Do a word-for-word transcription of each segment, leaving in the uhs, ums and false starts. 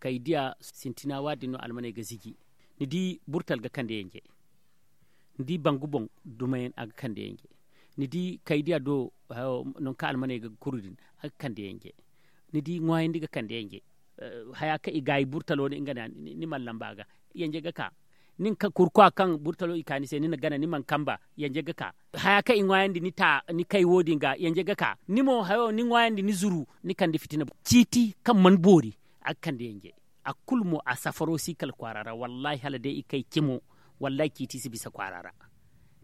Kaydiya sintina waadin no almaney ga ziji. Ni di burtal ga kande yanje. Ni di bangu boŋ dumayaŋ a ga kande yanje. Ni di kaydiya do nangu kaŋ almaney ga kuru din a ga kande yanje. Ni di ŋwaayandi ga kande yanje. Haya kaŋ i gaayi burtalo ni nga na ni mana lamba ga yanje ga ka. Nin ka kurkwa kaŋ burtalo i ka ni se ni na gana ni mana kamba yanje ga ka. Haya kaŋ i ŋwaayandi ni ta ni kay wo- din ga yanje ga ka ni mo hayo ni ŋwaayandi ni zuru ni kande fitina ciiti kaŋ mana boori. A ga kande yanje. A kulu mo a safaro si kala kwaara ra wallahi hala day i kay cimo. Wallahi ciiti si bisa kwaara ra.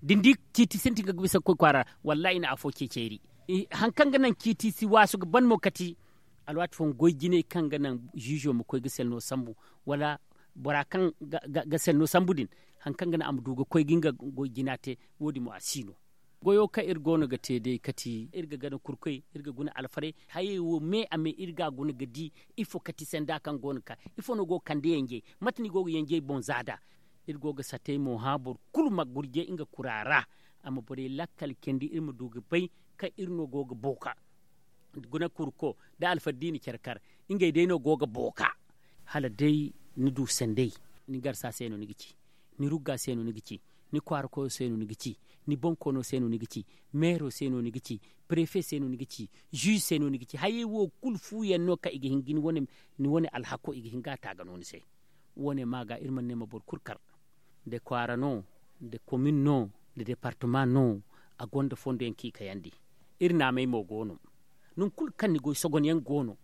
Da ni di ciiti sintin ga bisa kwaara ra. Wallahi i na afo ceeceeri. Hari kaŋ ga naŋ ciiti si waasu ga ban mo kati alwaati fooyaŋ goy jinay kaŋ ga naŋ ziizo ma koy ga selno sambu wala bora kaŋ ga selno sambu din. Hari kaŋ ga naŋ a ma du ga koy ga nga goy jina te. Wo- din mo a si no. Goyo kaŋ iri go no ga te day kati iri ga gana kurkoy iri ga guna alfarey hayey wo me a me iri ga a guna ga di. Ifo kati sanda kaŋ go no ga ka ifo no go ga kande yanjey? Mate no i go ga yanjey boŋ za nd'a. Iri go ga satey mo hã boro kulu ma gurjay nga kura ra. A ma borey lakkal candi iri ma du ga bay kaŋ iri no go ga booka. Guna kurko nda alfardiini care kar ngey day no go ga booka. Hala day ni du sanday ni garsa se no ni ga ci. Ni rugga se no ni ga ci. Ni kwaara koyo se no ni ga ci. Ni boŋ koono se no ni ga ci. Meero se no ni ga ci. Perefe se no ni ga ci. Ziize se no ni ga ci hayey wo kulu fu yaŋ no kaŋ i ga hin ga ni wane alhako i ga hin ga a taaga no ni se. Wo- ne ma ga iri mana ne ma boro kulu kar. Nda kwaara no, nda komin no, nda departama no. A gonda fondo yaŋ kaŋ i kayandi. Iri naamey mo go no. Nangu kulu kaŋ ni goy sogon yaŋ go no.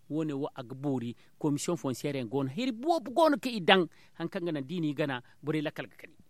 Wo- ne wo a ga boori. Komisiyoŋ fonseer yaŋ go no hari boobo go no kaŋ i daŋ. Hari kaŋ ga naŋ da i n'i gana borey lakkal ga kani.